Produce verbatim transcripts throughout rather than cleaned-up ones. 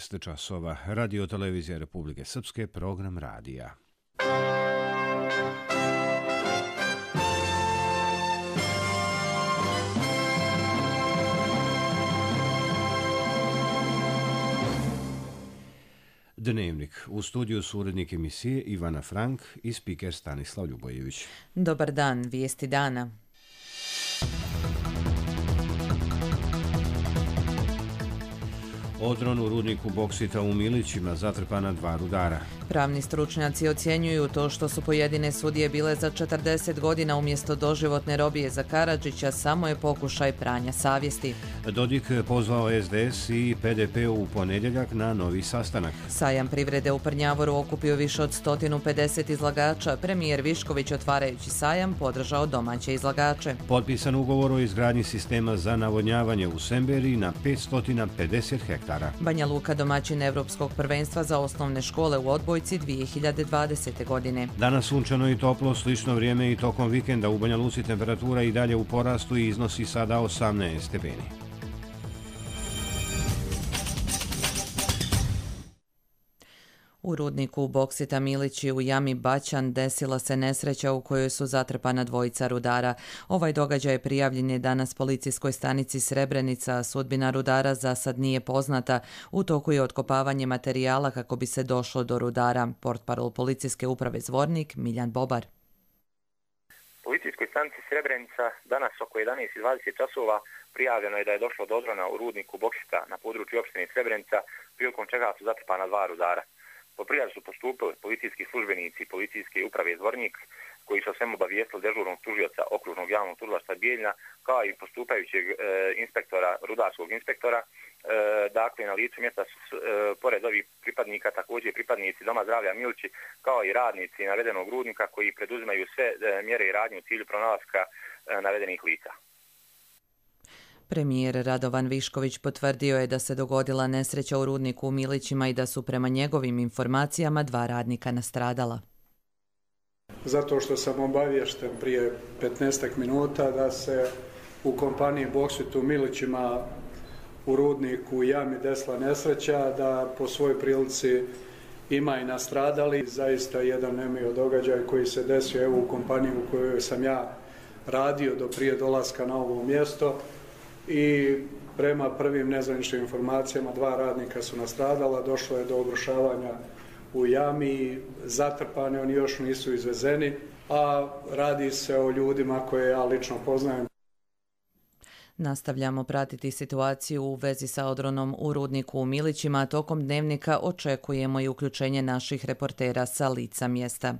šest časova. Radio televizija Republike Srpske, program radija. Dnevnik. U studiju su urednik emisije Ivana Frank i spiker Stanislav Ljubojević. Dobar dan, vijesti dana. Odron u rudniku boksita u Milićima, zatrpana dva rudara. Pravni stručnjaci ocjenjuju to što su pojedine sudije bile za četrdeset godina umjesto doživotne robije za Karadžića samo je pokušaj pranja savjesti. Dodik pozvao S D S i P D P u ponedjeljak na novi sastanak. Sajam privrede u Prnjavoru okupio više od sto pedeset izlagača. Premijer Višković, otvarajući sajam, podržao domaće izlagače. Potpisan ugovor o izgradnji sistema za navodnjavanje u Semberiji na petsto pedeset hektara. Banja Luka domaćin Evropskog prvenstva za osnovne škole u odbojci dvije hiljade dvadesete. godine. Danas sunčano i toplo, slično vrijeme i tokom vikenda. U Banja Luci temperatura i dalje u porastu i iznosi sada osamnaest stepeni. U rudniku boksita Milići u jami Baćan desila se nesreća u kojoj su zatrpana dvojica rudara. Ovaj događaj prijavljen je danas policijskoj stanici Srebrenica, a sudbina rudara za sad nije poznata. U toku je otkopavanje materijala kako bi se došlo do rudara. Portparol policijske uprave Zvornik Miljan Bobar. Policijskoj stanici Srebrenica danas oko jedanaest i dvadeset časova prijavljeno je da je došlo do odrona u rudniku boksita na području opštine Srebrenica, prilikom čega su zatrpana dva rudara. Po prijavi su postupili policijski službenici policijske uprave Zvornik, koji su o svemu obavijestili dežurnog tužioca okružnog javnog tužilaštva Bijeljina, kao i postupajućeg e, inspektora, rudarskog inspektora. E, dakle, na licu mjesta su, e, pored ovih pripadnika, također pripadnici Doma zdravlja Milići, kao i radnici navedenog rudnika koji preduzimaju sve e, mjere i radnje u cilju pronalaska e, navedenih lica. Premijer Radovan Višković potvrdio je da se dogodila nesreća u rudniku u Milićima i da su prema njegovim informacijama dva radnika nastradala. Zato što sam obaviješten prije petnaestak minuta da se u kompaniji Boksit u Milićima u rudniku u jami desila nesreća, da po svojoj prilici ima i nastradali. Zaista jedan nemio događaj koji se desio evo u kompaniji u kojoj sam ja radio do prije dolaska na ovo mjesto. I prema prvim nezvaničnim informacijama dva radnika su nastradala, došlo je do obrušavanja u jami, zatrpani, oni još nisu izvezeni, a radi se o ljudima koje ja lično poznajem. Nastavljamo pratiti situaciju u vezi sa odronom u rudniku u Milićima, a tokom dnevnika očekujemo i uključenje naših reportera sa lica mjesta.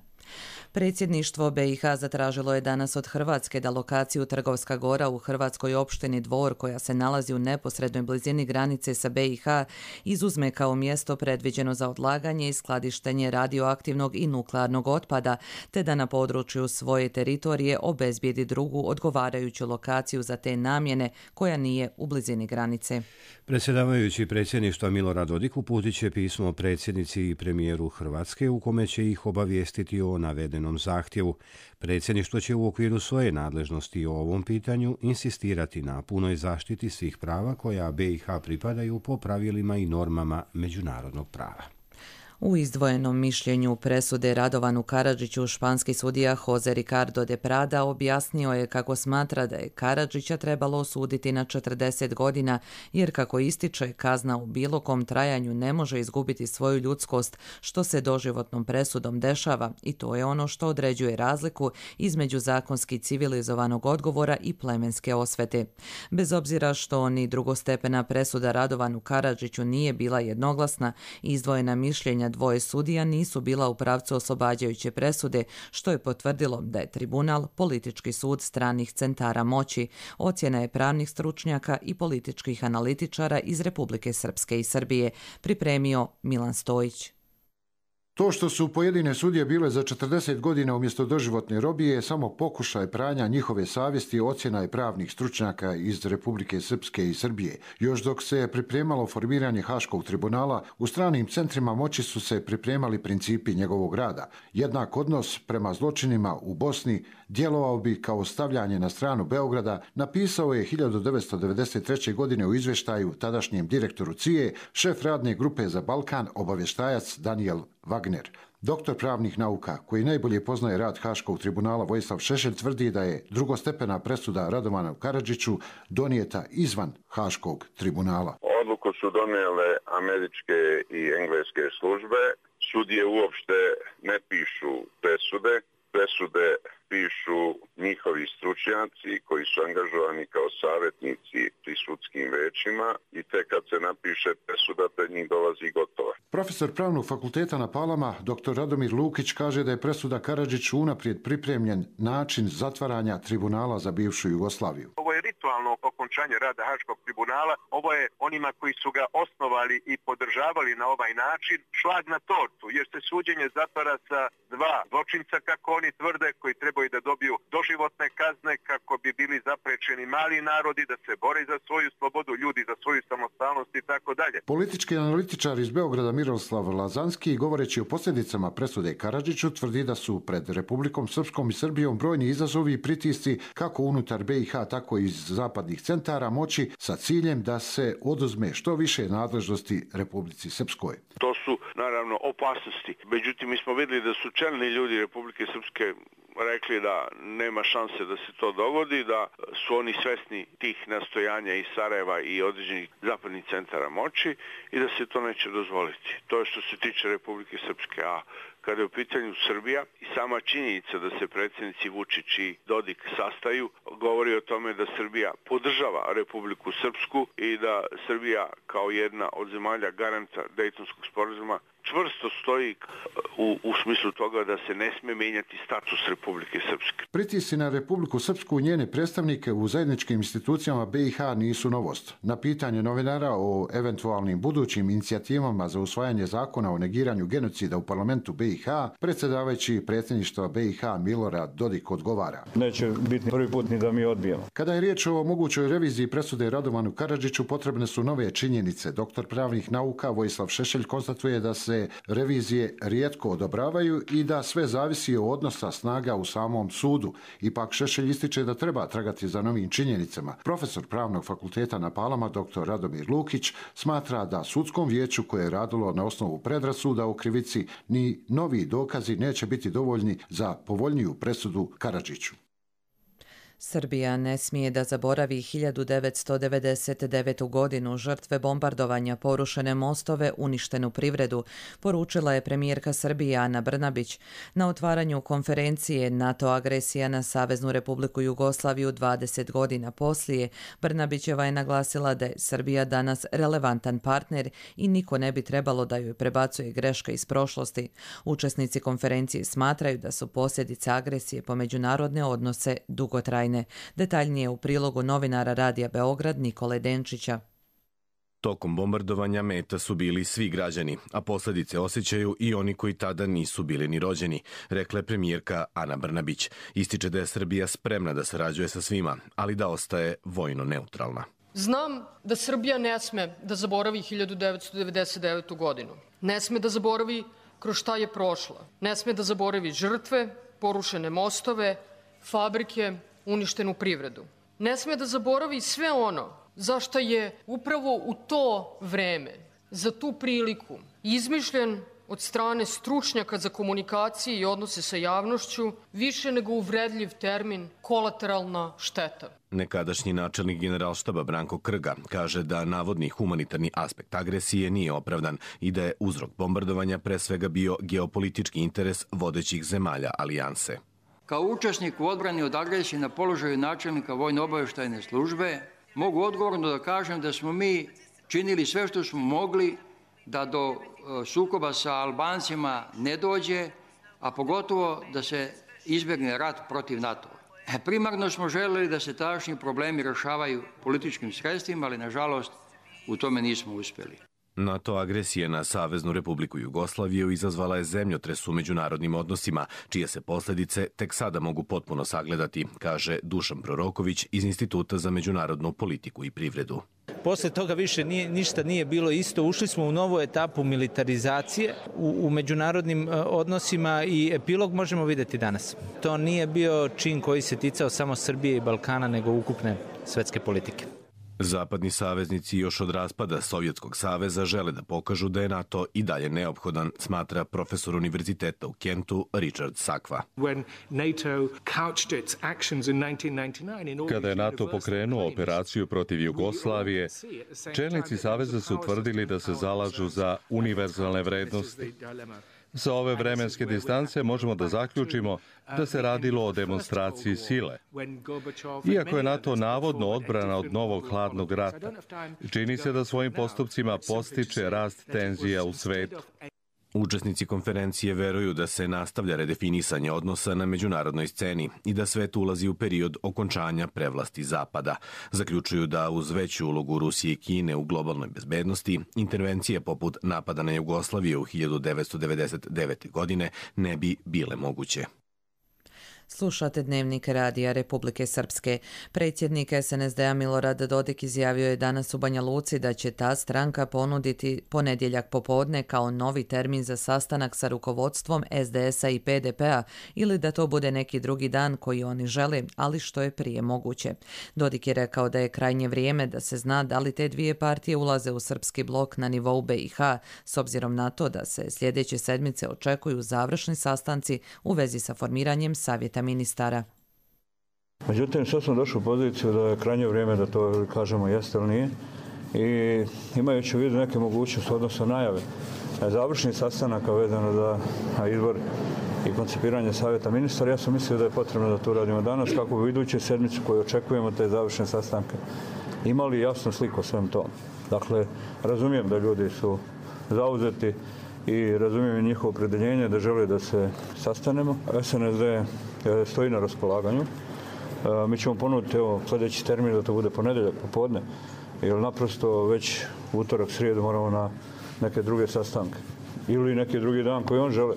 Predsjedništvo B i H zatražilo je danas od Hrvatske da lokaciju Trgovska Gora u hrvatskoj opštini Dvor, koja se nalazi u neposrednoj blizini granice sa B i H, izuzme kao mjesto predviđeno za odlaganje i skladištenje radioaktivnog i nuklearnog otpada, te da na području svoje teritorije obezbijedi drugu odgovarajuću lokaciju za te namjene koja nije u blizini granice. Predsjedavajući predsjedništva Milorad Dodik uputit će pismo predsjednici i premijeru Hrvatske u kome će ih obavijestiti o navedenom zahtjevu. Predsjedništvo će u okviru svoje nadležnosti o ovom pitanju insistirati na punoj zaštiti svih prava koja B i H pripadaju po pravilima i normama međunarodnog prava. U izdvojenom mišljenju presude Radovanu Karadžiću španski sudija Jose Ricardo de Prada objasnio je kako smatra da je Karadžića trebalo osuditi na četrdeset godina, jer kako ističe, kazna u bilo kom trajanju ne može izgubiti svoju ljudskost, što se doživotnom presudom dešava, i to je ono što određuje razliku između zakonski civilizovanog odgovora i plemenske osvete. Bez obzira što ni drugostepena presuda Radovanu Karadžiću nije bila jednoglasna, izdvojena mišljenja dvoje sudija nisu bila u pravcu oslobađajuće presude, što je potvrdilo da je tribunal politički sud stranih centara moći. Ocjena je pravnih stručnjaka i političkih analitičara iz Republike Srpske i Srbije, pripremio Milan Stojić. To što su pojedine sudije bile za četrdeset godina umjesto doživotne robije je samo pokušaj pranja njihove savjesti, ocjena je pravnih stručnjaka iz Republike Srpske i Srbije. Još dok se pripremalo formiranje Haškog tribunala, u stranim centrima moći su se pripremali principi njegovog rada. Jednak odnos prema zločinima u Bosni djelovao bi kao stavljanje na stranu Beograda, napisao je hiljadu devetsto devedeset treće. godine u izvještaju tadašnjem direktoru C I E, šef radne grupe za Balkan, obavještajac Daniel Wagner. Doktor pravnih nauka, koji najbolje poznaje rad Haškog tribunala, Vojislav Šešelj, tvrdi da je drugostepena presuda Radovanu Karadžiću donijeta izvan Haškog tribunala. Odluku su donijele američke i engleske službe. Sudije uopšte ne pišu presude. Presude pišu njihovi stručnjaci koji su angažovani kao savjetnici pri sudskim većima i tek kad se napiše presuda, pred njih dolazi gotova. Profesor pravnog fakulteta na Palama, doktor Radomir Lukić, kaže da je presuda Karadžiću unaprijed pripremljen način zatvaranja tribunala za bivšu Jugoslaviju. Ovo je ritualno okončanje rada Haškog tribunala. Ovo je onima koji su ga osnovali i podržavali na ovaj način šlag na tortu, jer se suđenje zatvara sa dva zločinca, kako oni tvrde, koji trebaju da dobiju doživotne kazne, kako bi bili zaprečeni mali narodi, da se bore za svoju slobodu, ljudi za svoju samostalnost i tako dalje. Politički analitičar iz Beograda Miroslav Lazanski, govoreći o posljedicama presude Karadžiću, tvrdi da su pred Republikom Srpskom i Srbijom brojni izazovi i pritisci kako unutar B i H, tako i iz zapadnih centara moći sa ciljem da se oduzme što više nadležnosti Republici Srpskoj. To su naravno opasnosti. Međutim, mi smo vidjeli da su čelni ljudi Republike Srpske rekli da nema šanse da se to dogodi, da su oni svesni tih nastojanja iz Sarajeva i određenih zapadnih centara moći i da se to neće dozvoliti. To je što se tiče Republike Srpske. A kada je u pitanju Srbija i sama činjenica da se predsjednici Vučić i Dodik sastaju, govori o tome da Srbija podržava Republiku Srpsku i da Srbija kao jedna od zemalja garanta Dejtonskog sporazuma čvrsto stoji u, u smislu toga da se ne sme menjati status Republike Srpske. Pritisci na Republiku Srpsku i njene predstavnike u zajedničkim institucijama B i H nisu novost. Na pitanje novinara o eventualnim budućim inicijativama za usvajanje zakona o negiranju genocida u parlamentu B i H, predsjedavajući predsjedništva B i H Milorad Dodik odgovara: Neće biti prvi put ni da mi odbijemo. Kada je riječ o mogućoj reviziji presude Radovanu Karadžiću, potrebne su nove činjenice. Doktor pravnih nauka Vojislav Šešelj konstatuje da se revizije rijetko odobravaju i da sve zavisi od odnosa snaga u samom sudu. Ipak Šešelj ističe da treba tragati za novim činjenicama. Profesor pravnog fakulteta na Palama, doktor Radomir Lukić, smatra da sudskom vijeću koje je radilo na osnovu predrasuda o krivici ni novi dokazi neće biti dovoljni za povoljniju presudu Karadžiću. Srbija ne smije da zaboravi hiljadu devetsto devedeset devetu. godinu, žrtve bombardovanja, porušene mostove, uništenu privredu, poručila je premijerka Srbije Ana Brnabić na otvaranju konferencije NATO agresija na Saveznu Republiku Jugoslaviju dvadeset godina poslije. Brnabićeva je naglasila da je Srbija danas relevantan partner i niko ne bi trebalo da joj prebacuje greške iz prošlosti. Učesnici konferencije smatraju da su posljedice agresije po međunarodne odnose dugotrajne. Detaljnije u prilogu novinara Radija Beograd Nikole Denčića. Tokom bombardovanja meta su bili svi građani, a posljedice osjećaju i oni koji tada nisu bili ni rođeni, rekla je premijerka Ana Brnabić. Ističe da je Srbija spremna da sarađuje sa svima, ali da ostaje vojno neutralna. Znam da Srbija ne sme da zaboravi hiljadu devetsto devedeset devetu. godinu. Ne sme da zaboravi kroz šta je prošla. Ne sme da zaboravi žrtve, porušene mostove, fabrike, uništenu privredu. Ne sme da zaboravi sve ono zašto je upravo u to vreme, za tu priliku, izmišljen od strane stručnjaka za komunikacije i odnose sa javnošću više nego uvredljiv termin kolateralna šteta. Nekadašnji načelnik Generalštaba Branko Krga kaže da navodni humanitarni aspekt agresije nije opravdan i da je uzrok bombardovanja pre svega bio geopolitički interes vodećih zemalja alijanse. Kao učesnik u odbrani od agresije na položaju načelnika vojno-obavještajne službe mogu odgovorno da kažem da smo mi činili sve što smo mogli da do sukoba sa Albancima ne dođe, a pogotovo da se izbjegne rat protiv NATO-a. Primarno smo želeli da se tadašnji problemi rješavaju političkim sredstvima, ali nažalost u tome nismo uspjeli. NATO agresija na Saveznu Republiku Jugoslaviju izazvala je zemljotres u međunarodnim odnosima, čije se posljedice tek sada mogu potpuno sagledati, kaže Dušan Proroković iz Instituta za međunarodnu politiku i privredu. Posle toga više nije, ništa nije bilo isto. Ušli smo u novu etapu militarizacije u, u međunarodnim odnosima i epilog možemo vidjeti danas. To nije bio čin koji se ticao samo Srbije i Balkana, nego ukupne svetske politike. Zapadni saveznici još od raspada Sovjetskog saveza žele da pokažu da je NATO i dalje neophodan, smatra profesor univerziteta u Kentu Richard Sakva. Kada je NATO pokrenuo operaciju protiv Jugoslavije, čelnici saveza su tvrdili da se zalažu za univerzalne vrednosti. Sa ove vremenske distance možemo da zaključimo da se radilo o demonstraciji sile. Iako je NATO navodno odbrana od novog hladnog rata, čini se da svojim postupcima postiče rast tenzija u svetu. Učesnici konferencije veruju da se nastavlja redefinisanje odnosa na međunarodnoj sceni i da svet ulazi u period okončanja prevlasti Zapada. Zaključuju da uz veću ulogu Rusije i Kine u globalnoj bezbednosti, intervencije poput napada na Jugoslaviju u hiljadu devetsto devedeset devete. godine ne bi bile moguće. Slušate Dnevnik Radija Republike Srpske. Predsjednik S N S D-a Milorad Dodik izjavio je danas u Banja Luci da će ta stranka ponuditi ponedjeljak popodne kao novi termin za sastanak sa rukovodstvom S D S-a i P D P-a ili da to bude neki drugi dan koji oni žele, ali što je prije moguće. Dodik je rekao da je krajnje vrijeme da se zna da li te dvije partije ulaze u srpski blok na nivou B i H, s obzirom na to da se sljedeće sedmice očekuju završni sastanci u vezi sa formiranjem savjeta ministara. Međutim, sad smo došli u poziciju da je krajnje vrijeme da to kažemo jeste ili nije i imajući u vidu neke mogućnosti odnosno najave završnih sastanaka vezano za izbor i koncipiranje savjeta ministara, ja sam mislio da je potrebno da to radimo danas kako bi u idućoj sedmici koju očekujemo te završne sastanke imali jasnu sliku o svem tom. Dakle, razumijem da ljudi su zauzeti i razumijem njihovo opredjeljenje da žele da se sastanemo. S N S D stoji na raspolaganju. Mi ćemo ponuditi evo, sljedeći termin da to bude ponedjeljak popodne, jer naprosto već utorak, srijedu moramo na neke druge sastanke. Ili neki drugi dan koji on žele.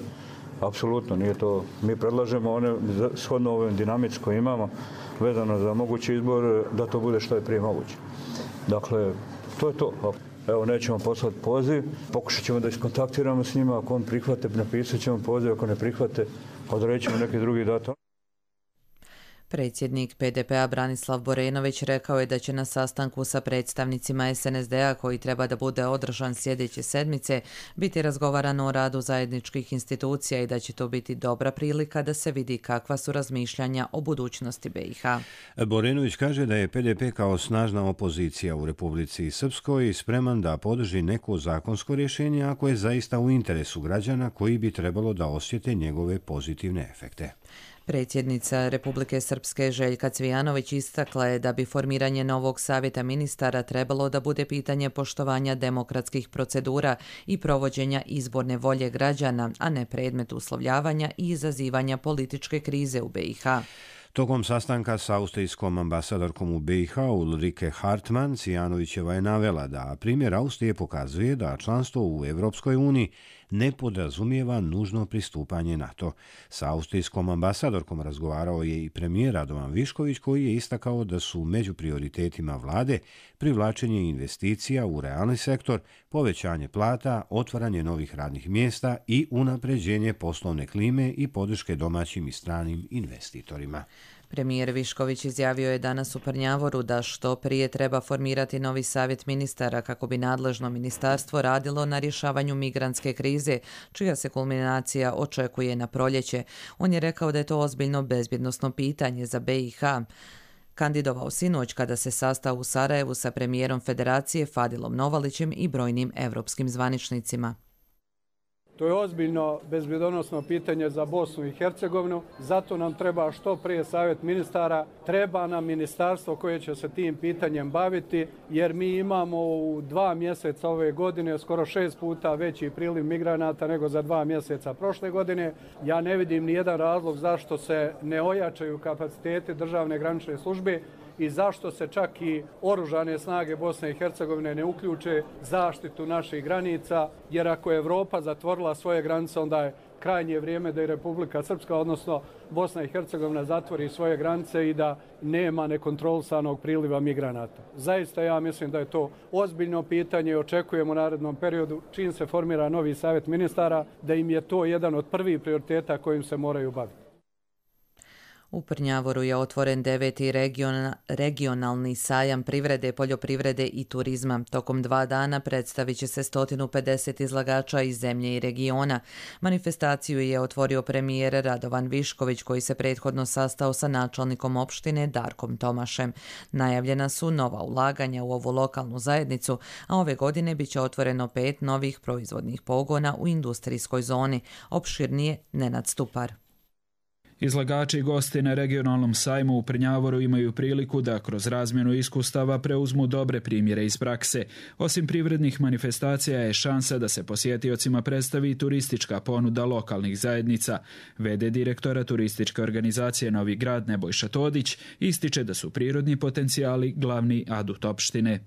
Apsolutno, nije to. Mi predlažemo one shodno ovim dinamici koje imamo vezano za mogući izbor da to bude što je prije moguće. Dakle, to je to. Evo, nećemo poslati poziv, pokušat ćemo da iskontaktiramo s njima, ako on prihvate, napisat ćemo poziv, ako ne prihvate, odredit ćemo neki drugi datum. Predsjednik P D P-a Branislav Borenović rekao je da će na sastanku sa predstavnicima S N S D-a koji treba da bude održan sljedeće sedmice biti razgovarano o radu zajedničkih institucija i da će to biti dobra prilika da se vidi kakva su razmišljanja o budućnosti B i H. Borenović kaže da je P D P kao snažna opozicija u Republici Srpskoj spreman da podrži neko zakonsko rješenje ako je zaista u interesu građana koji bi trebalo da osjete njegove pozitivne efekte. Predsjednica Republike Srpske Željka Cvijanović istakla je da bi formiranje novog savjeta ministara trebalo da bude pitanje poštovanja demokratskih procedura i provođenja izborne volje građana, a ne predmet uslovljavanja i izazivanja političke krize u B i H. Tokom sastanka sa austrijskom ambasadorkom u B i H Ulrike Hartmann, Cvijanovićeva je navela da primjer Austrije pokazuje da članstvo u Evropskoj uniji ne podrazumijeva nužno pristupanje NATO. Sa austrijskom ambasadorkom razgovarao je i premijer Radovan Višković koji je istakao da su među prioritetima vlade privlačenje investicija u realni sektor, povećanje plata, otvaranje novih radnih mjesta i unapređenje poslovne klime i podrške domaćim i stranim investitorima. Premijer Višković izjavio je danas u Prnjavoru da što prije treba formirati novi savjet ministara kako bi nadležno ministarstvo radilo na rješavanju migrantske krize, čija se kulminacija očekuje na proljeće. On je rekao da je to ozbiljno bezbjednosno pitanje za B i H. Kandidovao sinoć kada se sastao u Sarajevu sa premijerom Federacije Fadilom Novalićem i brojnim evropskim zvaničnicima. To je ozbiljno bezbjednosno pitanje za Bosnu i Hercegovinu, zato nam treba što prije savjet ministara, treba nam ministarstvo koje će se tim pitanjem baviti, jer mi imamo u dva mjeseca ove godine skoro šest puta veći priliv migranata nego za dva mjeseca prošle godine. Ja ne vidim ni jedan razlog zašto se ne ojačaju kapaciteti državne granične službe i zašto se čak i oružane snage Bosne i Hercegovine ne uključe zaštitu naših granica, jer ako je Evropa zatvorila svoje granice, onda je krajnje vrijeme da i Republika Srpska, odnosno Bosna i Hercegovina, zatvori svoje granice i da nema nekontrolisanog priliva migranata. Zaista ja mislim da je to ozbiljno pitanje i očekujem u narednom periodu, čim se formira novi savjet ministara, da im je to jedan od prvih prioriteta kojim se moraju baviti. U Prnjavoru je otvoren deveti region, regionalni sajam privrede, poljoprivrede i turizma. Tokom dva dana predstavit će se sto pedeset izlagača iz zemlje i regiona. Manifestaciju je otvorio premijer Radovan Višković, koji se prethodno sastao sa načelnikom opštine Darkom Tomašem. Najavljena su nova ulaganja u ovu lokalnu zajednicu, a ove godine biće otvoreno pet novih proizvodnih pogona u industrijskoj zoni. Opširnije Nenad Stupar. Izlagači i gosti na regionalnom sajmu u Prnjavoru imaju priliku da kroz razmjenu iskustava preuzmu dobre primjere iz prakse. Osim privrednih manifestacija je šansa da se posjetiocima predstavi turistička ponuda lokalnih zajednica. V D direktora turističke organizacije Novi Grad Nebojša Todić ističe da su prirodni potencijali glavni adut opštine.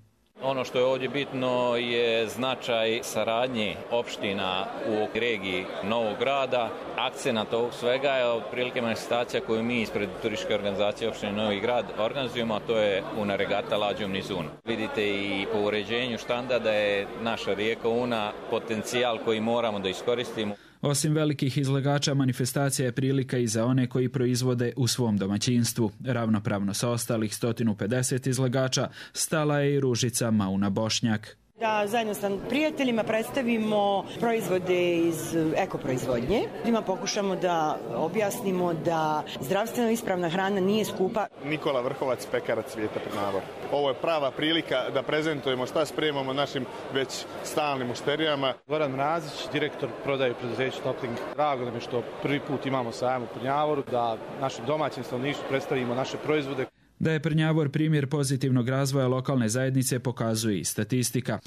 Ono što je ovdje bitno je značaj saradnje opština u regiji Novog Grada. Akcenat ovog svega je otprilike manifestacija koju mi ispred turističke organizacije opštine Novi Grad organizujemo, a to je Una regata Lađum Nizun. Vidite i po uređenju štanda da je naša rijeka Una potencijal koji moramo da iskoristimo. Osim velikih izlagača, manifestacija je prilika i za one koji proizvode u svom domaćinstvu. Ravnopravno sa ostalih sto pedeset izlagača stala je i Ružica Mauna Bošnjak. Da zajedno sa prijateljima predstavimo proizvode iz ekoproizvodnje. Ljudima pokušamo da objasnimo da zdravstveno ispravna hrana nije skupa. Nikola Vrhovac, pekarac Svijeta Prnjavor. Ovo je prava prilika da prezentujemo šta spremamo našim već stalnim mušterijama. Goran Mrazić, direktor prodaje preduzeća Topling. Drago nam je što prvi put imamo sajam u Prnjavoru, da našim domaćim stanovništvu predstavimo naše proizvode. Da je Prnjavor primjer pozitivnog razvoja lokalne zajednice pokazuje i statistika.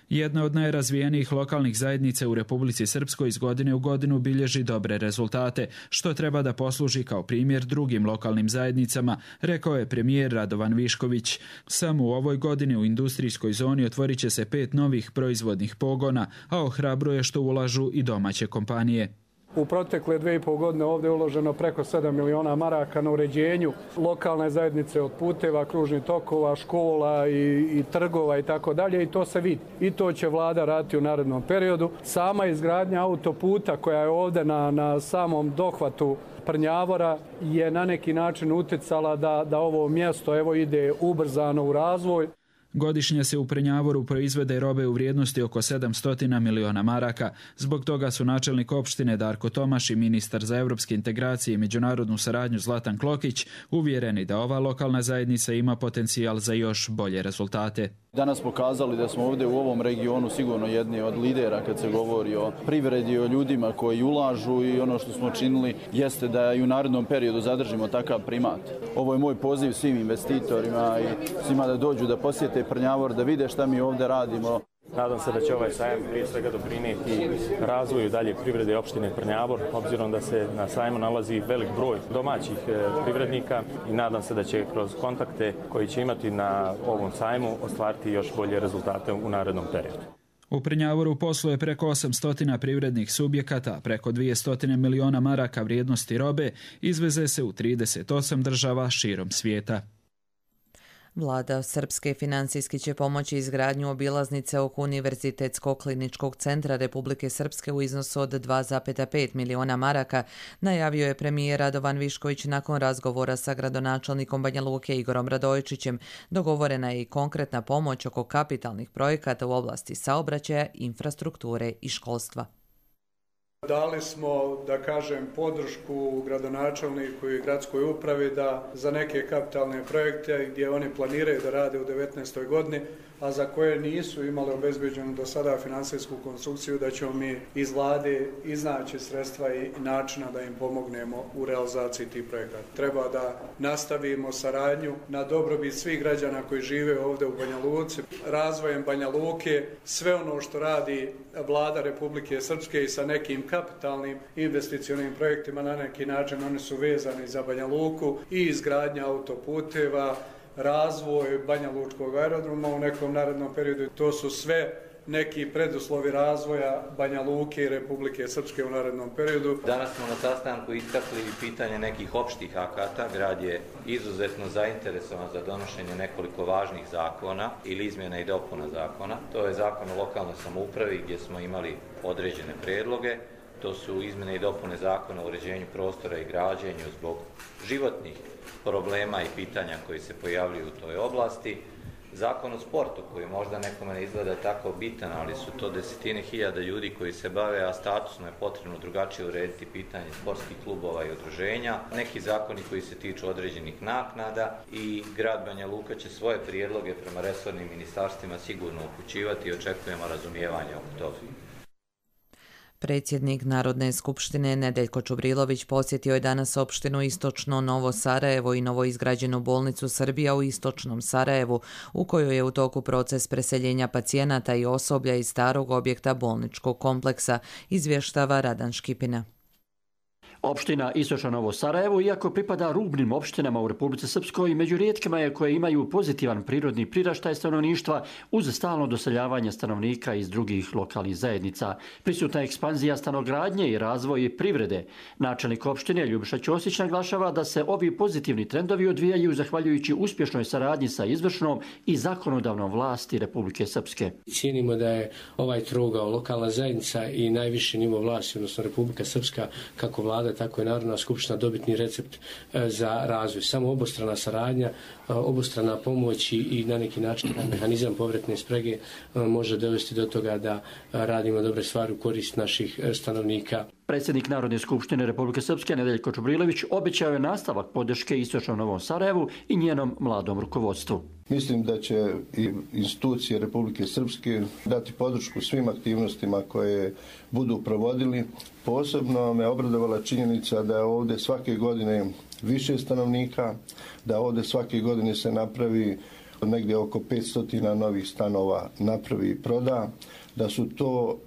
Jedna od najrazvijenijih lokalnih zajednica u Republici Srpskoj iz godine u godinu bilježi dobre rezultate, što treba da posluži kao primjer drugim lokalnim zajednicama, rekao je premijer Radovan Višković. Samo u ovoj godini u industrijskoj zoni otvorit će se pet novih proizvodnih pogona, a ohrabruje što ulažu i domaće kompanije. U protekle dve i pol godine ovdje je uloženo preko sedam miliona maraka na uređenju lokalne zajednice od puteva, kružnih tokova, škola i, i trgova i tako dalje i to se vidi. I to će vlada raditi u narednom periodu. Sama izgradnja autoputa koja je ovdje na, na samom dohvatu Prnjavora je na neki način utjecala da, da ovo mjesto evo ide ubrzano u razvoj. Godišnje se u Prnjavoru proizvede robe u vrijednosti oko sedamsto miliona maraka. Zbog toga su načelnik opštine Darko Tomaš i ministar za evropske integracije i međunarodnu saradnju Zlatan Klokić uvjereni da ova lokalna zajednica ima potencijal za još bolje rezultate. Danas pokazali da smo ovdje u ovom regionu sigurno jedni od lidera kad se govori o privredi, o ljudima koji ulažu i ono što smo činili jeste da i u narednom periodu zadržimo takav primat. Ovo je moj poziv svim investitorima i svima da dođu da posjete Prnjavor, da vide šta mi ovdje radimo. Nadam se da će ovaj sajam prije svega doprinijeti razvoju dalje privrede opštine Prnjavor, obzirom da se na sajmu nalazi velik broj domaćih privrednika i nadam se da će kroz kontakte koji će imati na ovom sajmu ostvariti još bolje rezultate u narednom periodu. U Prnjavoru posluje preko osamsto privrednih subjekata, preko dvjesto miliona maraka vrijednosti robe izveze se u trideset osam država širom svijeta. Vlada Srpske financijski će pomoći izgradnju obilaznice oko Univerzitetskog kliničkog centra Republike Srpske u iznosu od dva zarez pet miliona maraka, najavio je premijer Radovan Višković nakon razgovora sa gradonačelnikom Banja Luke Igorom Radojičićem. Dogovorena je i konkretna pomoć oko kapitalnih projekata u oblasti saobraćaja, infrastrukture i školstva. Dali smo, da kažem, podršku gradonačelniku i gradskoj upravi da za neke kapitalne projekte gdje oni planiraju da rade u devetnaestoj godini, a za koje nisu imali obezbeđenu do sada finansijsku konstrukciju, da ćemo mi iz vlade iznaći sredstva i načina da im pomognemo u realizaciji tih projekata. Treba da nastavimo saradnju na dobrobit svih građana koji žive ovdje u Banja Luci, razvojem Banja Luke, sve ono što radi vlada Republike Srpske i sa nekim kapitalnim investicionim projektima na neki način oni su vezani za Banja Luku i izgradnja autoputeva, razvoj Banja Lučkog aerodroma u nekom narednom periodu. To su sve neki preduslovi razvoja Banja Luke i Republike Srpske u narednom periodu. Danas smo na sastanku istakli pitanje nekih opštih akata. Grad je izuzetno zainteresovan za donošenje nekoliko važnih zakona ili izmjena i dopuna zakona. To je zakon o lokalnoj samoupravi gdje smo imali određene predloge. To su izmjene i dopune zakona o uređenju prostora i građenju zbog životnih problema i pitanja koji se pojavljuju u toj oblasti. Zakon o sportu koji možda nekome ne izgleda tako bitan, ali su to desetine hiljada ljudi koji se bave, a statusno je potrebno drugačije urediti pitanje sportskih klubova i udruženja. Neki zakoni koji se tiču određenih naknada i grad Banja Luka će svoje prijedloge prema resornim ministarstvima sigurno upućivati i očekujemo razumijevanje oko toga. Predsjednik Narodne skupštine Nedeljko Čubrilović posjetio je danas opštinu Istočno Novo Sarajevo i novoizgrađenu bolnicu Srbija u Istočnom Sarajevu, u kojoj je u toku proces preseljenja pacijenata i osoblja iz starog objekta bolničkog kompleksa, izvještava Radan Škipina. Opština Istočno Novo Sarajevo, iako pripada rubnim opštinama u Republici Srpskoj, među rijetkima je koje imaju pozitivan prirodni priraštaj stanovništva uz stalno doseljavanje stanovnika iz drugih lokalnih zajednica. Prisutna ekspanzija stanogradnje i razvoj privrede. Načelnik opštine Ljubiša Ćosić naglašava da se ovi pozitivni trendovi odvijaju zahvaljujući uspješnoj saradnji sa izvršnom i zakonodavnom vlasti Republike Srpske. Cijenimo da je ovaj trogao lokalna zajednica i najviši nivo vlasti, odnosno Republika Srpska, kako vlada tako je Narodna skupština dobitni recept za razvoj. Samo obostrana saradnja, obostrana pomoć i na neki način mehanizam povratne sprege može dovesti do toga da radimo dobre stvari u korist naših stanovnika. Predsjednik Narodne skupštine Republike Srpske Nedeljko Čubrilović obećao je nastavak podrške Istočnom Novom Sarajevu i njenom mladom rukovodstvu. Mislim da će i institucije Republike Srpske dati podršku svim aktivnostima koje budu provodili. Posebno me obradovala činjenica da je ovdje svake godine više stanovnika, da ovdje svake godine se napravi negdje oko petsto novih stanova napravi i proda, da su to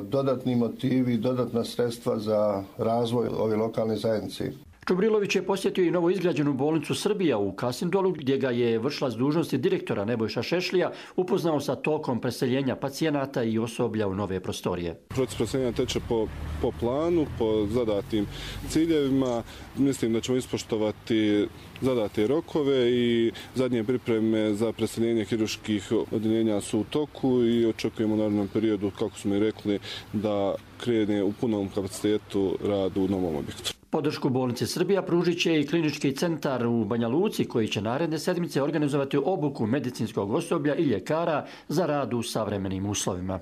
dodatni motivi, dodatna sredstva za razvoj ove lokalne zajednice. Čubrilović je posjetio i novo izgrađenu bolnicu Srbija u Kasindolu, gdje ga je vršilac dužnosti direktora Nebojša Šešlija upoznao sa tokom preseljenja pacijenata i osoblja u nove prostorije. Proces preseljenja teče po, po planu, po zadatim ciljevima. Mislim da ćemo ispoštovati zadate rokove i zadnje pripreme za preseljenje kirurških odjeljenja su u toku i očekujemo u narednom periodu, kako smo i rekli, da krene u punom kapacitetu rad u novom objektu. Podršku bolnice Srbija pružit će i klinički centar u Banja Luci koji će naredne sedmice organizovati obuku medicinskog osoblja i ljekara za rad u savremenim uslovima.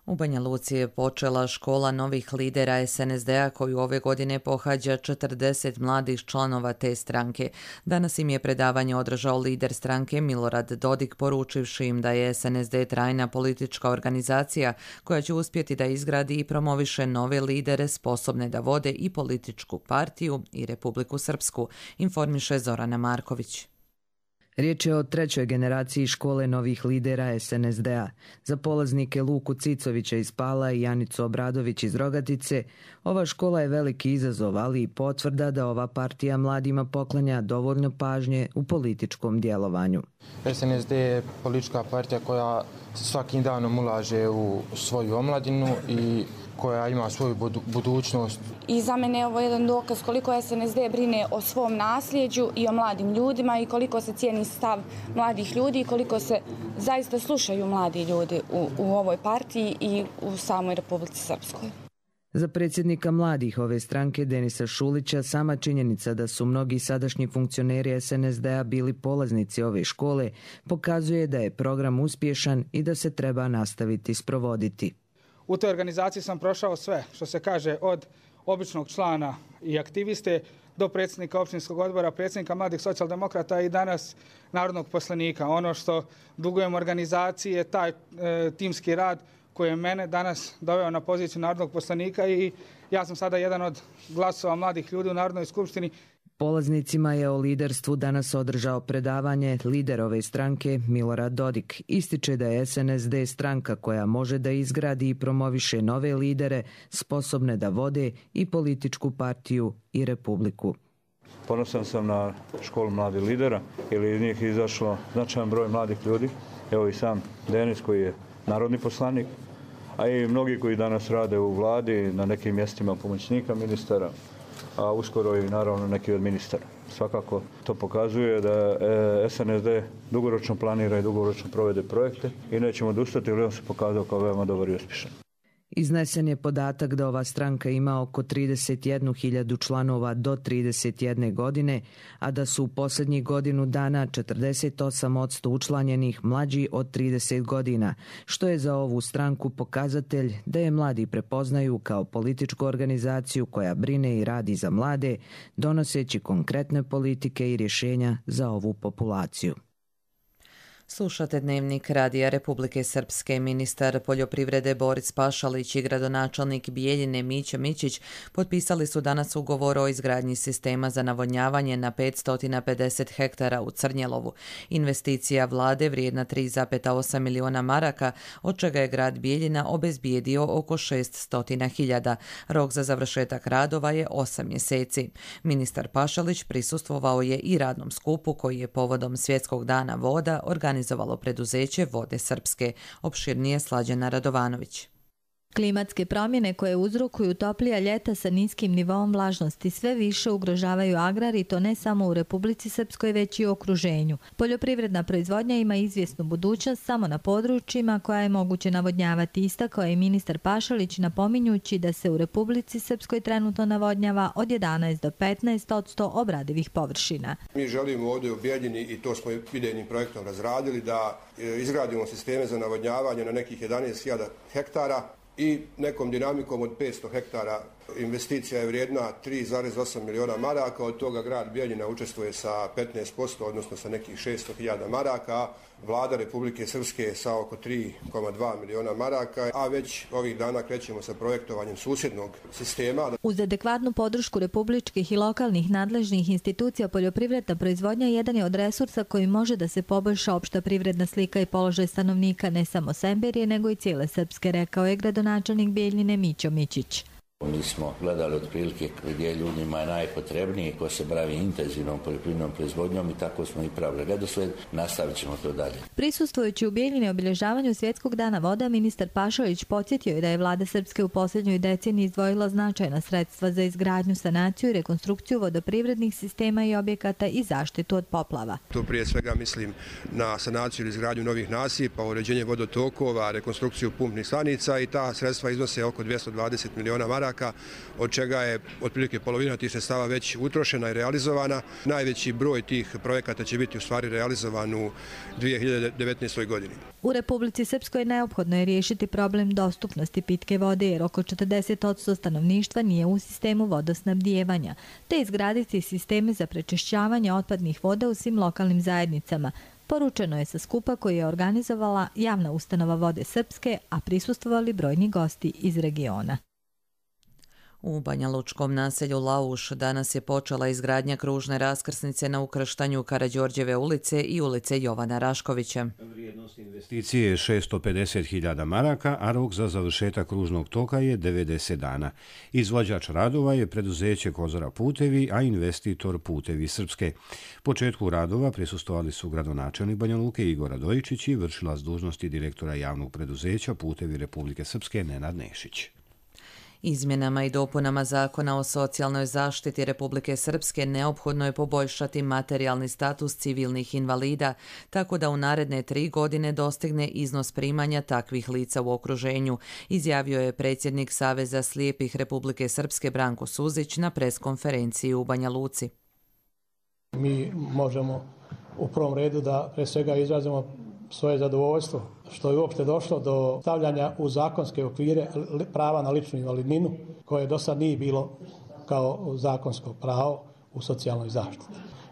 U Banja Luci je počela škola novih lidera es en es de a koju ove godine pohađa četrdeset mladih članova te stranke. Danas im je predavanje održao lider stranke Milorad Dodik, poručivši im da je es en es de trajna politička organizacija koja će uspjeti da izgradi i promoviše nove lidere sposobne da vode i političku partiju i Republiku Srpsku, informiše Zorana Marković. Riječ je o trećoj generaciji škole novih lidera es en es de a. Za polaznike Luku Cicovića iz Pala i Janicu Obradović iz Rogatice, ova škola je veliki izazov, ali i potvrda da ova partija mladima poklanja dovoljno pažnje u političkom djelovanju. es en es de je politička partija koja svakim danom ulaže u svoju omladinu i koja ima svoju budućnost. I za mene je ovo jedan dokaz koliko es en es de brine o svom nasljeđu i o mladim ljudima i koliko se cijeni stav mladih ljudi i koliko se zaista slušaju mladi ljudi u, u ovoj partiji i u samoj Republici Srpskoj. Za predsjednika mladih ove stranke Denisa Šulića sama činjenica da su mnogi sadašnji funkcioneri es en es de a bili polaznici ove škole pokazuje da je program uspješan i da se treba nastaviti sprovoditi. U toj organizaciji sam prošao sve, što se kaže, od običnog člana i aktiviste do predsjednika općinskog odbora, predsjednika mladih socijaldemokrata i danas narodnog poslanika. Ono što dugujem organizaciji je taj e, timski rad koji je mene danas doveo na poziciju narodnog poslanika i ja sam sada jedan od glasova mladih ljudi u Narodnoj skupštini. Polaznicima je o liderstvu danas održao predavanje lider ove stranke Milorad Dodik. Ističe da je S N S D stranka koja može da izgradi i promoviše nove lidere, sposobne da vode i političku partiju i republiku. Ponosan sam na školu mladih lidera, jer iz njih izašlo značajan broj mladih ljudi. Evo i sam Denis koji je narodni poslanik, a i mnogi koji danas rade u vladi na nekim mjestima pomoćnika ministara, a uskoro i naravno neki od ministara. Svakako to pokazuje da S N S D dugoročno planira i dugoročno provede projekte i nećemo odustati, jer on se pokazao kao veoma dobar i uspješan. Iznesen je podatak da ova stranka ima oko trideset jednu hiljadu članova do trideset jedne godine, a da su u posljednjih godinu dana četrdeset osam posto učlanjenih mlađi od trideset godina, što je za ovu stranku pokazatelj da je mladi prepoznaju kao političku organizaciju koja brine i radi za mlade, donoseći konkretne politike i rješenja za ovu populaciju. Slušate Dnevnik Radija Republike Srpske. Ministar poljoprivrede Boris Pašalić i gradonačelnik Bijeljine Mićo Mićić potpisali su danas ugovor o izgradnji sistema za navodnjavanje na petsto pedeset hektara u Crnjelovu. Investicija vlade vrijedna tri zarez osam miliona maraka, od čega je grad Bijeljina obezbijedio oko šessto hiljada. Rok za završetak radova je osam mjeseci. Ministar Pašalić prisustvovao je i radnom skupu koji je povodom Svjetskog dana voda organizovao organizovalo preduzeće Vode Srpske. Opširnije Slađana Radovanović. Klimatske promjene koje uzrokuju toplija ljeta sa niskim nivoom vlažnosti sve više ugrožavaju agrar i to ne samo u Republici Srpskoj već i u okruženju. Poljoprivredna proizvodnja ima izvjesnu budućnost samo na područjima koja je moguće navodnjavati, istakao je ministar Pašalić napominjući da se u Republici Srpskoj trenutno navodnjava od jedanaest do petnaest posto obradivih površina. Mi želimo ovdje u Bijeljini, i to smo idejnim projektom razradili, da izgradimo sisteme za navodnjavanje na nekih jedanaest hiljada hektara i nekom dinamikom od petsto hektara. Investicija je vrijedna tri zarez osam miliona maraka, od toga grad Bijeljina učestvuje sa petnaest posto, odnosno sa nekih šesto hiljada maraka, vlada Republike Srpske sa oko tri zarez dva miliona maraka, a već ovih dana krećemo sa projektovanjem susjednog sistema. Uz adekvatnu podršku republičkih i lokalnih nadležnih institucija, poljoprivredna proizvodnja jedan je od resursa koji može da se poboljša opšta privredna slika i položaj stanovnika ne samo Semberije, nego i cijele Srpske, rekao je gradonačelnik Bijeljine Mićo Mićić. Mi smo gledali otprilike gdje ljudima je najpotrebniji, ko se bavi intenzivnom poljoprivrednom proizvodnjom, i tako smo i pravili redosled, nastavit ćemo to dalje. Prisustvujući u Bijeljini obilježavanju Svjetskog dana voda, ministar Pašalić podsjetio je da je vlada Srpske u posljednjoj deceniji izdvojila značajna sredstva za izgradnju, sanaciju i rekonstrukciju vodoprivrednih sistema i objekata i zaštitu od poplava. Tu prije svega mislim na sanaciju ili izgradnju novih nasipa, uređenje vodotokova, rekonstrukciju pumpnih stanica, i ta sredstva iznose oko dvjesto dvadeset miliona maraka, od čega je otprilike polovina tih sredstava već utrošena i realizovana. Najveći broj tih projekata će biti u stvari realizovan u dvije hiljade devetnaestoj godini. U Republici Srpskoj neophodno je riješiti problem dostupnosti pitke vode, jer oko četrdeset posto stanovništva nije u sistemu vodosnabdijevanja, te izgraditi sisteme za prečišćavanje otpadnih voda u svim lokalnim zajednicama. Poručeno je sa skupa koji je organizovala javna ustanova Vode Srpske, a prisustvovali brojni gosti iz regiona. U Banjalučkom naselju Lauš danas je počela izgradnja kružne raskrsnice na ukrštanju Karađorđeve ulice i ulice Jovana Raškovića. Vrijednost investicije je šesto pedeset hiljada maraka, a rok za završetak kružnog toka je devedeset dana. Izvođač radova je preduzeće Kozara putevi, a investitor Putevi Srpske. Početku radova prisustvovali su gradonačelnik Banja Luke Igor Radojičić i vršilac dužnosti direktora javnog preduzeća Putevi Republike Srpske Nenad Nešić. Izmjenama i dopunama Zakona o socijalnoj zaštiti Republike Srpske neophodno je poboljšati materijalni status civilnih invalida, tako da u naredne tri godine dostigne iznos primanja takvih lica u okruženju, izjavio je predsjednik Saveza slijepih Republike Srpske Branko Suzić na preskonferenciji u Banja Luci. Mi možemo u prvom redu da pre svega izrazimo svoje zadovoljstvo što je uopšte došlo do stavljanja u zakonske okvire prava na ličnu invalidninu, koje do sad nije bilo kao zakonsko pravo u socijalnoj zaštiti.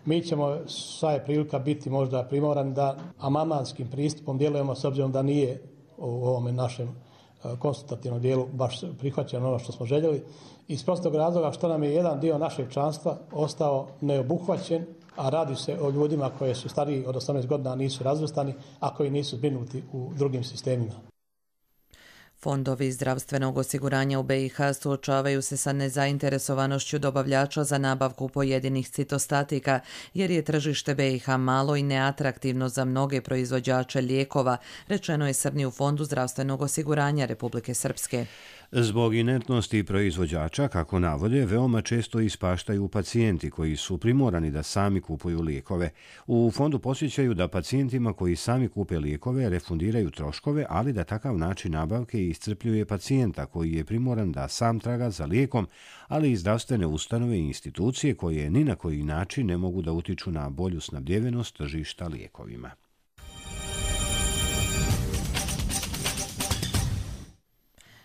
Mi ćemo, sva je prilika biti možda primoran da amandmanskim pristupom djelujemo, s obzirom da nije u ovome našem konsultativnom dijelu baš prihvaćeno ono što smo željeli. Iz prostog razloga što nam je jedan dio našeg članstva ostao neobuhvaćen, a radi se o ljudima koji su stariji od osamnaest godina, nisu razvrstani, a koji nisu zbrinuti u drugim sistemima. Fondovi zdravstvenog osiguranja u be i ha suočavaju se sa nezainteresovanošću dobavljača za nabavku pojedinih citostatika, jer je tržište be i ha malo i neatraktivno za mnoge proizvođače lijekova, rečeno je Srni u Fondu zdravstvenog osiguranja Republike Srpske. Zbog inertnosti proizvođača, kako navode, veoma često ispaštaju pacijenti koji su primorani da sami kupuju lijekove. U fondu posjećaju da pacijentima koji sami kupe lijekove refundiraju troškove, ali da takav način nabavke iscrpljuje pacijenta koji je primoran da sam traga za lijekom, ali i zdravstvene ustanove i institucije koje ni na koji način ne mogu da utiču na bolju snabdjevenost tržišta lijekovima.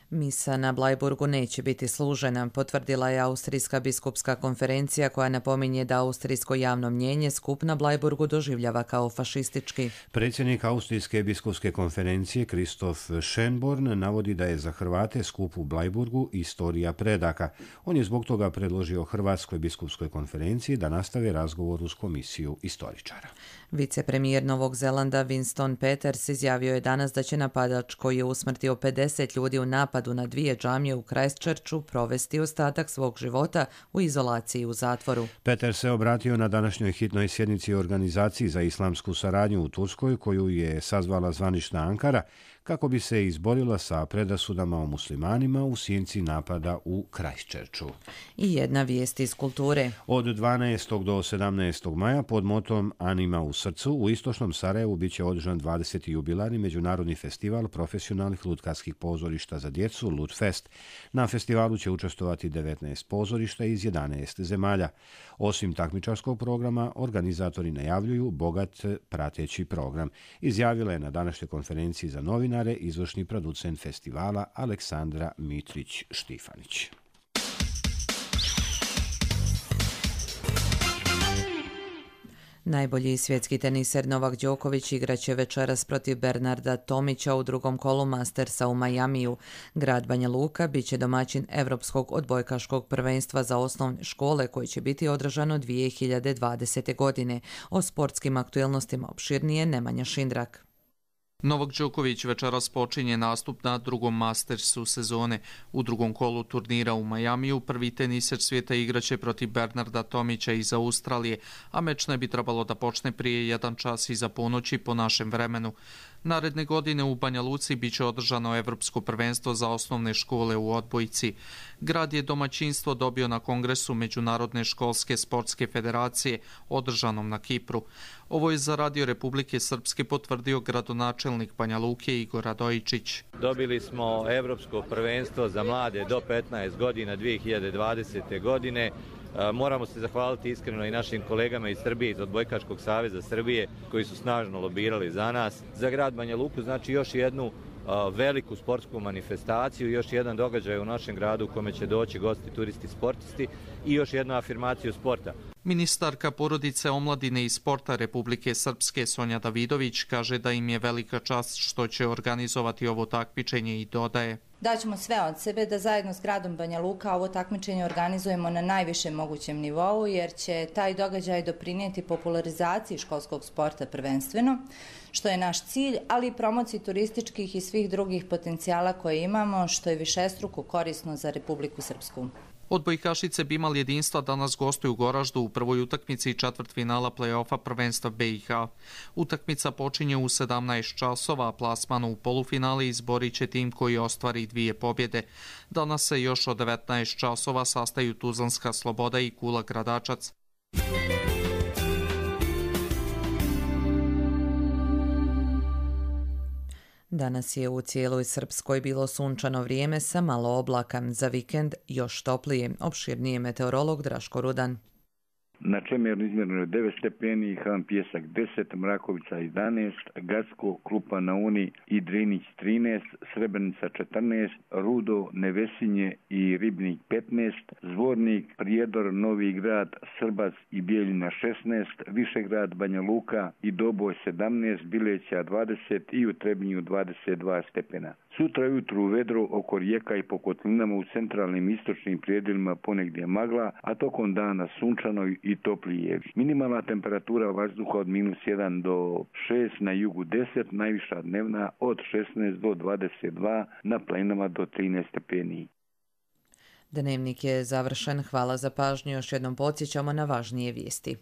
Misa na Blajburgu neće biti služena, potvrdila je Austrijska biskupska konferencija koja napominje da austrijsko javno mnjenje skup na Blajburgu doživljava kao fašistički. Predsjednik Austrijske biskupske konferencije Kristof Schönborn navodi da je za Hrvate skup u Blajburgu istorija predaka. On je zbog toga predložio Hrvatskoj biskupskoj konferenciji da nastave razgovor uz komisiju istoričara. Vicepremijer Novog Zelanda Winston Peters izjavio je danas da će napadač koji je usmrtio pedeset ljudi u napadu na dvije džamije u Christchurchu provesti ostatak svog života u izolaciji u zatvoru. Peters se obratio na današnjoj hitnoj sjednici organizaciji za islamsku saradnju u Turskoj, koju je sazvala zvanična Ankara, kako bi se izborila sa predrasudama o muslimanima u sjenci napada u Christchurchu. I jedna vijest iz kulture. Od dvanaestog do sedamnaestog maja pod motom Anima u srcu u istočnom Sarajevu bit će održan dvadeseti jubilarni međunarodni festival profesionalnih lutkarskih pozorišta za djecu Lutfest. Na festivalu će učestvovati devetnaest pozorišta iz jedanaest zemalja. Osim takmičarskog programa, organizatori najavljuju bogat prateći program. Izjavila je na današnjoj konferenciji za novinare izvršni producent festivala Aleksandra Mitrić-Štifanić. Najbolji svjetski teniser Novak Đoković igraće večeras protiv Bernarda Tomića u drugom kolu Mastersa u Majamiju. Grad Banja Luka bit će domaćin Evropskog odbojkaškog prvenstva za osnovne škole koji će biti održano dvije hiljade dvadesete. godine. O sportskim aktuelnostima opširnije Nemanja Šindrak. Novak Đoković večeras počinje nastup na drugom Mastersu sezone. U drugom kolu turnira u Majamiju prvi teniser svijeta igraće protiv Bernarda Tomića iz Australije, a meč ne bi trebalo da počne prije jedan čas iza ponoći po našem vremenu. Naredne godine u Banja Luci biće održano Evropsko prvenstvo za osnovne škole u odbojci. Grad je domaćinstvo dobio na kongresu Međunarodne školske sportske federacije održanom na Kipru. Ovo je za Radio Republike Srpske potvrdio gradonačelnik Banja Luke Igor Radojičić. Dobili smo Evropsko prvenstvo za mlade do petnaest godina dvije hiljade dvadesete. godine. Moramo se zahvaliti iskreno i našim kolegama iz Srbije, iz Odbojkaškog saveza Srbije, koji su snažno lobirali za nas. Za grad Banja Luku znači još jednu veliku sportsku manifestaciju, još jedan događaj u našem gradu u kome će doći gosti, turisti, sportisti i još jednu afirmaciju sporta. Ministarka porodice, omladine i sporta Republike Srpske Sonja Davidović kaže da im je velika čast što će organizovati ovo takmičenje i dodaje: Daćemo sve od sebe da zajedno s gradom Banja Luka ovo takmičenje organizujemo na najvišem mogućem nivou, jer će taj događaj doprinijeti popularizaciji školskog sporta prvenstveno, što je naš cilj, ali i promociji turističkih i svih drugih potencijala koje imamo, što je višestruko korisno za Republiku Srpsku. Odbojkašice Bimal jedinstva danas gostuju u Goraždu u prvoj utakmici četvrtfinala play-offa prvenstva be i ha. Utakmica počinje u sedamnaest časova, a plasman u polufinali izborit će tim koji ostvari dvije pobjede. Danas se još od devetnaest časova sastaju Tuzlanska Sloboda i Kula Gradačac. Danas je u cijeloj Srpskoj bilo sunčano vrijeme sa malo oblaka. Za vikend još toplije. Opširnije meteorolog Draško Rudan. Na Čemernu izmjereno je devet stepeni, Han Pijesak deset, Mrakovica jedanaest, Gacko, Krupa na Uni i Drinić trinaest, Srebrenica četrnaest, Rudo, Nevesinje i Ribnik petnaest, Zvornik, Prijedor, Novi Grad, Srbac i Bijeljina šesnaest, Višegrad, Banja Luka i Doboj sedamnaest, Bileća dvadeset i u Trebinju dvadeset dva stepena. Sutra jutru vedro oko rijeka i po kotlinama u centralnim istočnim prijedjelima ponegdje magla, a tokom dana sunčano i toplije. Minimalna temperatura vazduha od minus jedan do šest, na jugu deset, najviša dnevna od šesnaest do dvadeset dva, na planinama do trinaest stepeni. Dnevnik je završen. Hvala za pažnju. Još jednom podsjećamo na važnije vijesti.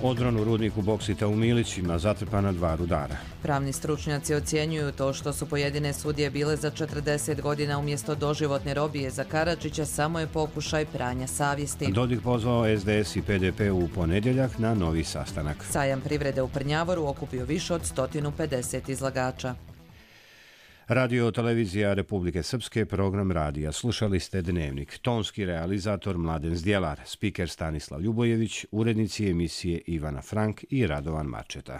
Odron u rudniku boksita u Milićima zatrpana dva rudara. Pravni stručnjaci ocjenjuju to što su pojedine sudije bile za četrdeset godina umjesto doživotne robije za Karadžića samo je pokušaj pranja savjesti. Dodik pozvao es de es i pe de pe u ponedjeljak na novi sastanak. Sajam privrede u Prnjavoru okupio više od sto pedeset izlagača. Radio televizija Republike Srpske, program radija. Slušali ste Dnevnik. Tonski realizator Mladen Zdjelar, spiker Stanislav Ljubojević, urednici emisije Ivana Frank i Radovan Marčeta.